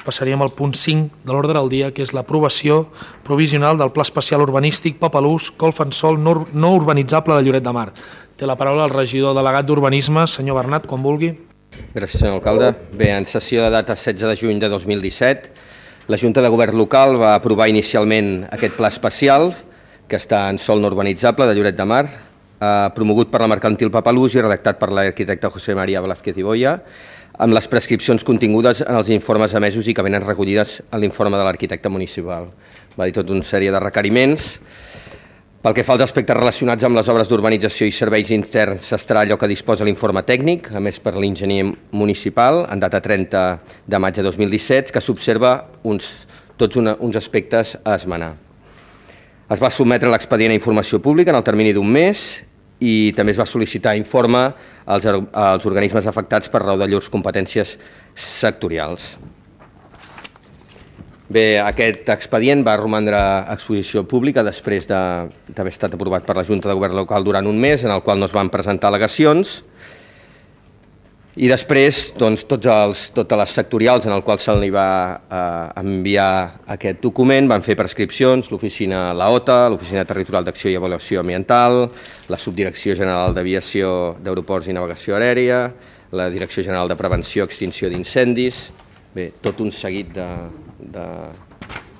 passaríem al punt 5 de l'ordre del dia, que és l'aprovació provisional del Pla Especial Urbanístic Papalús, Golf en Sol no urbanitzable de Lloret de Mar. Té la paraula el regidor delegat d'Urbanisme, senyor Bernat, quan vulgui. Gràcies, senyor alcalde. Bé, en sessió de data 16 de juny de 2017, la Junta de Govern local va aprovar inicialment aquest pla especial, que està en sòl no urbanitzable de Lloret de Mar, promogut per la mercantil Papalús i redactat per l'arquitecte José María Velázquez i Boya, amb les prescripcions contingudes en els informes emesos i que venen recollides en l'informe de l'arquitecte municipal. Va dir tota una sèrie de requeriments. Pel que fa als aspectes relacionats amb les obres d'urbanització i serveis interns, estarà allò que disposa l'informe tècnic, a més per l'enginyer municipal, en data 30 de maig de 2017, que s'observa tots uns aspectes a esmenar. Es va sotmetre l'expedient a informació pública en el termini d'un mes i també es va sol·licitar informe als organismes afectats per raó de llurs competències sectorials. Bé, aquest expedient va romandre a exposició pública després d'haver estat aprovat per la Junta de Govern local durant un mes, en el qual no es van presentar al·legacions, i després totes les sectorials en el qual se li va enviar aquest document van fer prescripcions, l'oficina LAOTA, l'Oficina Territorial d'Acció i Avaluació Ambiental, la Subdirecció General d'Aviació d'Aeroports i Navegació Aèria, la Direcció General de Prevenció i Extinció d'Incendis, bé, tot un seguit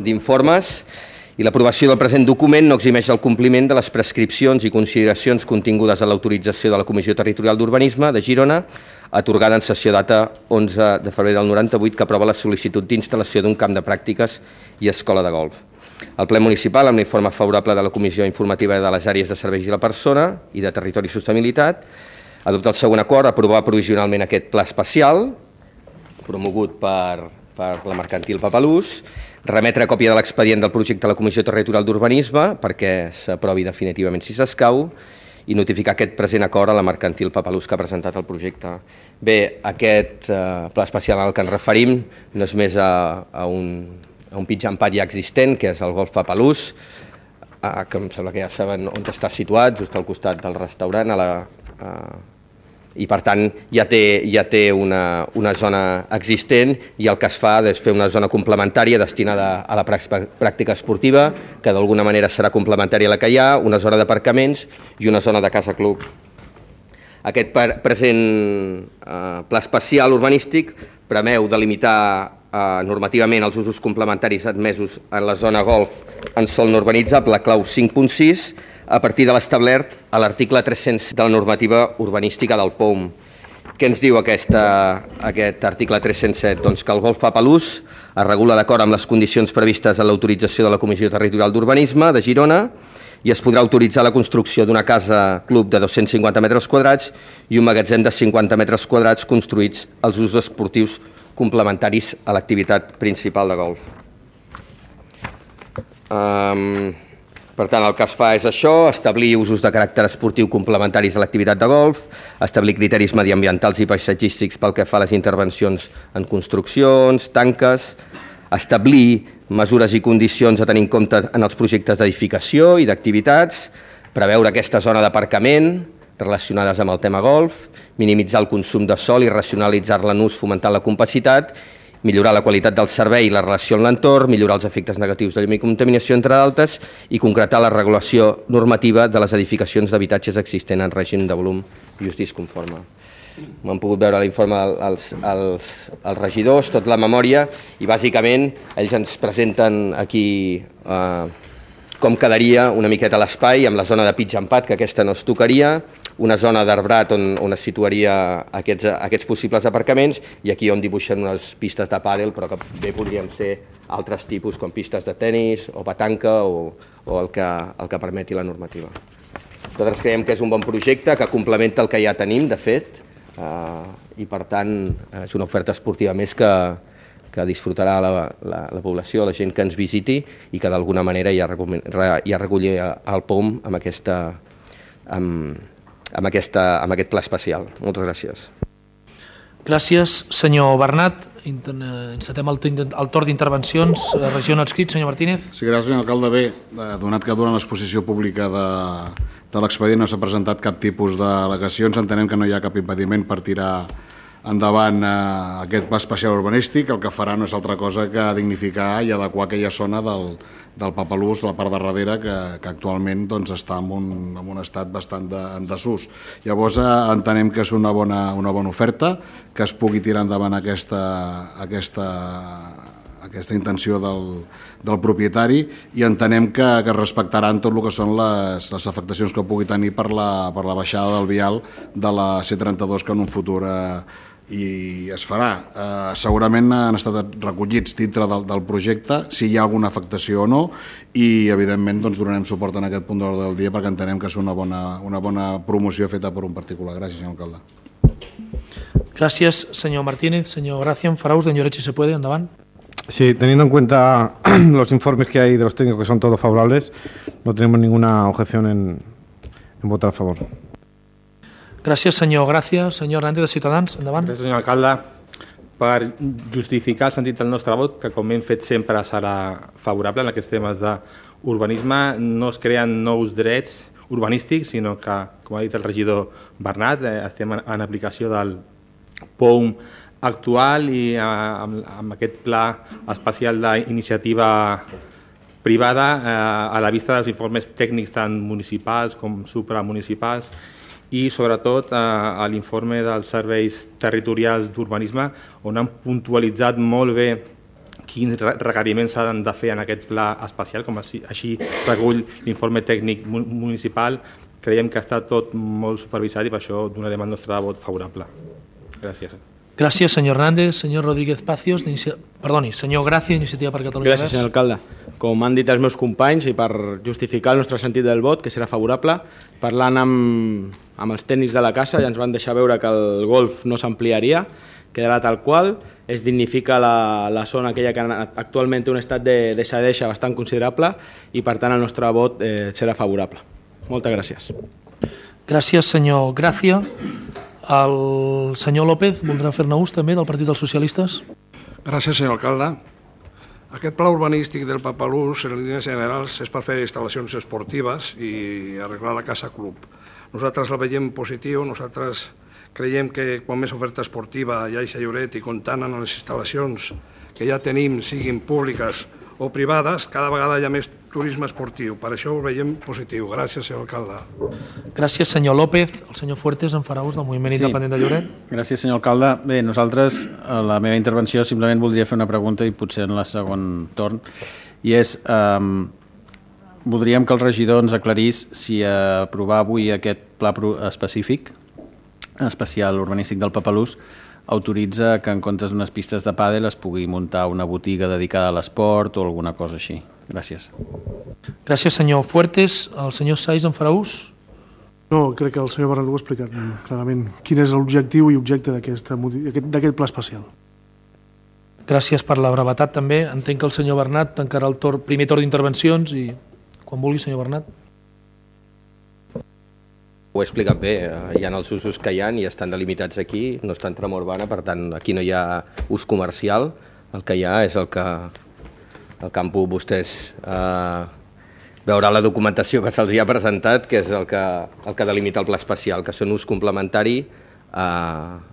d'informes, i l'aprovació del present document no eximeix el compliment de les prescripcions i consideracions contingudes en l'autorització de la Comissió Territorial d'Urbanisme de Girona, atorgada en sessió data 11 de febrer del 98, que aprova la sol·licitud d'instal·lació d'un camp de pràctiques i escola de golf. El ple municipal, amb l'informe favorable de la Comissió Informativa de les Àrees de Serveis i la Persona i de Territori i Sostenibilitat, adopta el següent acord, aprovar provisionalment aquest pla especial, promogut per la mercantil Papalús, remetre còpia de l'expedient del projecte a la Comissió Territorial d'Urbanisme perquè s'aprovi definitivament si s'escau i notificar aquest present acord a la mercantil Papalús que ha presentat el projecte. Bé, aquest pla especial al que ens referim no és més a un pitjampat ja existent, que és el Golf Papalús, que em sembla que ja saben on està situat, just al costat del restaurant, i per tant ja té una zona existent i el que es fa és fer una zona complementària destinada a la pràctica esportiva, que d'alguna manera serà complementària a la que hi ha, una zona d'aparcaments i una zona de casa club. Aquest present pla especial urbanístic preveu delimitar normativament els usos complementaris admesos en la zona golf en sòl no urbanitzable, clau 5.6, a partir de l'establert a l'article 300 de la normativa urbanística del POUM. Què ens diu aquest article 307? Doncs que el Golf Papalús es regula d'acord amb les condicions previstes en l'autorització de la Comissió Territorial d'Urbanisme de Girona i es podrà autoritzar la construcció d'una casa club de 250 metres quadrats i un magatzem de 50 metres quadrats construïts als usos esportius complementaris a l'activitat principal de golf. Per tant, el que es fa és això, establir usos de caràcter esportiu complementaris a l'activitat de golf, establir criteris mediambientals i paisatgístics pel que fa a les intervencions en construccions, tanques, establir mesures i condicions a tenir en compte en els projectes d'edificació i d'activitats, preveure aquesta zona d'aparcament relacionades amb el tema golf, minimitzar el consum de sòl i racionalitzar-la en ús fomentant la compacitat, millorar la qualitat del servei i la relació amb l'entorn, millorar els efectes negatius de llum i contaminació, entre d'altres, i concretar la regulació normativa de les edificacions d'habitatges existents en règim de volum i ús disconforme. M'han pogut veure l'informe els regidors, tot la memòria, i bàsicament ells ens presenten aquí com quedaria una miqueta l'espai amb la zona de pitch and pad, que aquesta no es tocaria, una zona d'arbrat on es situaria aquests possibles aparcaments i aquí on dibuixen unes pistes de pàdel, però que bé podrien ser altres tipus, com pistes de tennis o petanca o el que permeti la normativa. Nosaltres creiem que és un bon projecte que complementa el que ja tenim, de fet, i per tant és una oferta esportiva més que disfrutarà la població, la gent que ens visiti i que d'alguna manera ja recolli el POUM amb aquest pla especial. Moltes gràcies. Gràcies, senyor Bernat. Encetem el torn d'intervencions. Regió no adscrit, senyor Martínez. Sí, gràcies, senyor alcalde. Bé, donat que durant l'exposició pública de l'expedient no s'ha presentat cap tipus d'al·legacions, entenem que no hi ha cap impediment per tirar endavant aquest pla especial urbanístic. El que farà no és altra cosa que dignificar i adequar aquella zona del Papalús, la part de darrere, que actualment doncs, està en un estat bastant en desús. Llavors entenem que és una bona oferta, que es pugui tirar endavant aquesta intenció del propietari, i entenem que es respectaran tot el que són les afectacions que pugui tenir per la baixada del vial de la C32, que en un futur i es farà. Segurament han estat recollits dintre del projecte, si hi ha alguna afectació o no, i evidentment doncs, donarem suport en aquest punt d'ordre del dia perquè entenem que és una bona promoció feta per un particular. Gràcies, senyor alcalde. Gràcies, senyor Martínez. Senyor Gracia, en Faraús, de Lloret, si se puede, endavant. Sí, teniendo en cuenta los informes que hay de los técnicos, que son todos favorables, no tenemos ninguna objeción en votar a favor. Gràcies, senyor Gràcia. Senyor Hernández, de Ciutadans, endavant. Gràcies, senyor alcalde. Per justificar el sentit del nostre vot, que com hem fet sempre serà favorable en aquests temes d'urbanisme, no es creen nous drets urbanístics, sinó que, com ha dit el regidor Bernat, estem en aplicació del POUM actual i amb aquest pla especial d'iniciativa privada a la vista dels informes tècnics tant municipals com supramunicipals i sobretot a l'informe dels serveis territorials d'urbanisme, on han puntualitzat molt bé quins requeriments s'han de fer en aquest pla especial, com així recull l'informe tècnic municipal. Creiem que està tot molt supervisat i per això donarem el nostre vot favorable. Gràcies. Gràcies, senyor Hernández. Senyor Rodríguez Pacios, senyor Gràcia, d'Iniciativa per Catalunya Verds. Gràcies, senyor alcalde. Com han dit els meus companys, i per justificar el nostre sentit del vot, que serà favorable, parlant amb els tècnics de la casa, ja ens van deixar veure que el golf no s'ampliaria, quedarà tal qual, es dignifica la zona aquella que actualment té un estat de deixadeixa bastant considerable i, per tant, el nostre vot serà favorable. Moltes gràcies. Gràcies, senyor Gràcia. El senyor López voldrà fer-ne ús també del Partit dels Socialistes. Gràcies, senyor alcalde. Aquest pla urbanístic del Papalús, en línies generals, és per fer instal·lacions esportives i arreglar la casa club. Nosaltres la veiem positiu, nosaltres creiem que quan més oferta esportiva hi hagi a Lloret i comptant amb les instal·lacions que ja tenim, siguin públiques o privades, cada vegada hi ha més turisme esportiu. Per això ho veiem positiu. Gràcies, senyor alcalde. Gràcies, senyor López. El senyor Fuertes, en farà ús del Moviment Independent de Lloret. Gràcies, senyor alcalde. Bé, nosaltres, a la meva intervenció, simplement voldria fer una pregunta i potser en el segon torn, i és, voldríem que el regidor ens aclarís si aprovar avui aquest pla específic, especial urbanístic del Papalús, autoritza que en comptes d'unes pistes de pàdel es pugui muntar una botiga dedicada a l'esport o alguna cosa així. Gràcies. Gràcies, senyor Fuertes. El senyor Saiz en farà ús? No, crec que el senyor Bernat ho ha explicat clarament. Quin és l'objectiu i objecte d'aquest pla especial. Gràcies per la brevetat també. Entenc que el senyor Bernat tancarà el primer torn d'intervencions i quan vulgui, senyor Bernat. Ho he explicat bé, hi ha els usos que hi ha i estan delimitats aquí, no està en trama urbana, per tant aquí no hi ha ús comercial, el que hi ha és el que han pogut vostès veure la documentació que se'ls ha presentat, que és el que delimita el pla especial, que són ús complementari al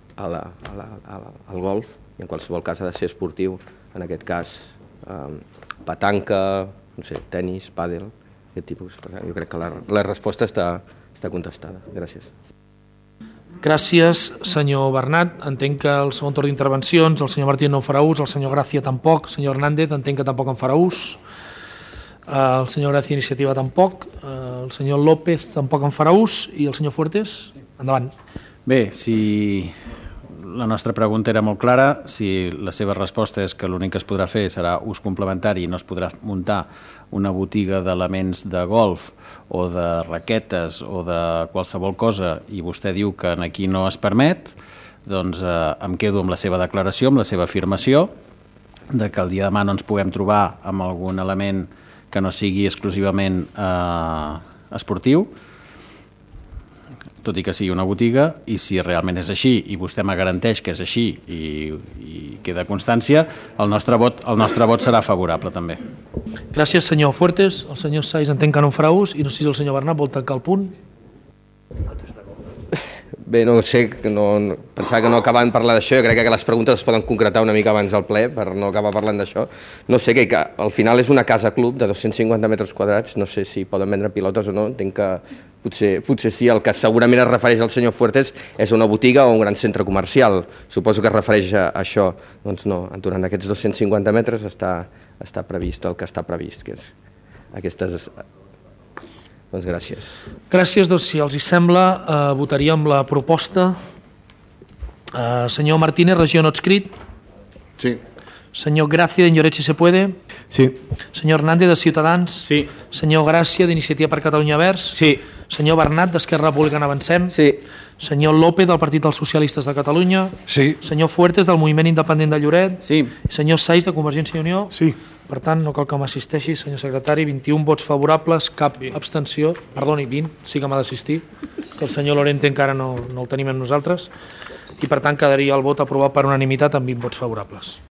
golf, i en qualsevol cas ha de ser esportiu, en aquest cas petanca, no sé, tenis, pàdel, aquest tipus. Jo crec que la resposta està contestada. Gràcies. Gràcies, senyor Bernat. Entenc que el segon torn d'intervencions el senyor Martínez no en farà ús, el senyor Gràcia tampoc, el senyor Hernández entenc que tampoc en farà ús, el senyor Gràcia Iniciativa tampoc, el senyor López tampoc en farà ús i el senyor Fuertes, endavant. Bé, si la nostra pregunta era molt clara, si la seva resposta és que l'únic que es podrà fer serà ús complementari i no es podrà muntar una botiga d'elements de golf o de raquetes o de qualsevol cosa i vostè diu que aquí no es permet, doncs em quedo amb la seva declaració, amb la seva afirmació de que el dia de demà no ens puguem trobar amb algun element que no sigui exclusivament esportiu, tot i que sigui una botiga, i si realment és així i vostè me garanteix que és així i queda constància, el nostre vot serà favorable també. Gràcies, senyor Fuertes. El senyor Saiz entenc que no en farà ús i no sé si el senyor Bernat vol tancar el punt. Bé, no sé, pensava que no acabàvem de parlar d'això, jo crec que les preguntes es poden concretar una mica abans del ple per no acabar parlant d'això. No sé, que al final és una casa club de 250 metres quadrats, no sé si poden vendre pilotes o no, entenc que potser sí, el que segurament es refereix al senyor Fuertes és una botiga o un gran centre comercial, suposo que es refereix a això. Doncs no, durant aquests 250 metres està previst el que està previst, que és aquestes... Doncs gràcies. Gràcies, doncs si els hi sembla, votaríem la proposta. Senyor Martínez, regió no adscrit. Sí. Senyor Gràcia, d'Enyoret, si se puede. Sí. Senyor Hernández, de Ciutadans. Sí. Senyor Gràcia, d'Iniciativa per Catalunya Verds. Sí. Senyor Bernat, d'Esquerra Republicana Avancem. Sí. Senyor López, del Partit dels Socialistes de Catalunya. Sí. Senyor Fuertes, del Moviment Independent de Lloret. Sí. Senyor Saiz, de Convergència i Unió. Sí. Per tant, no cal que m'assisteixi, senyor secretari. 21 vots favorables, cap abstenció. Perdoni, 20, sí que m'ha d'assistir, que el senyor Lorente encara no el tenim amb nosaltres. I per tant quedaria el vot aprovat per unanimitat amb 20 vots favorables.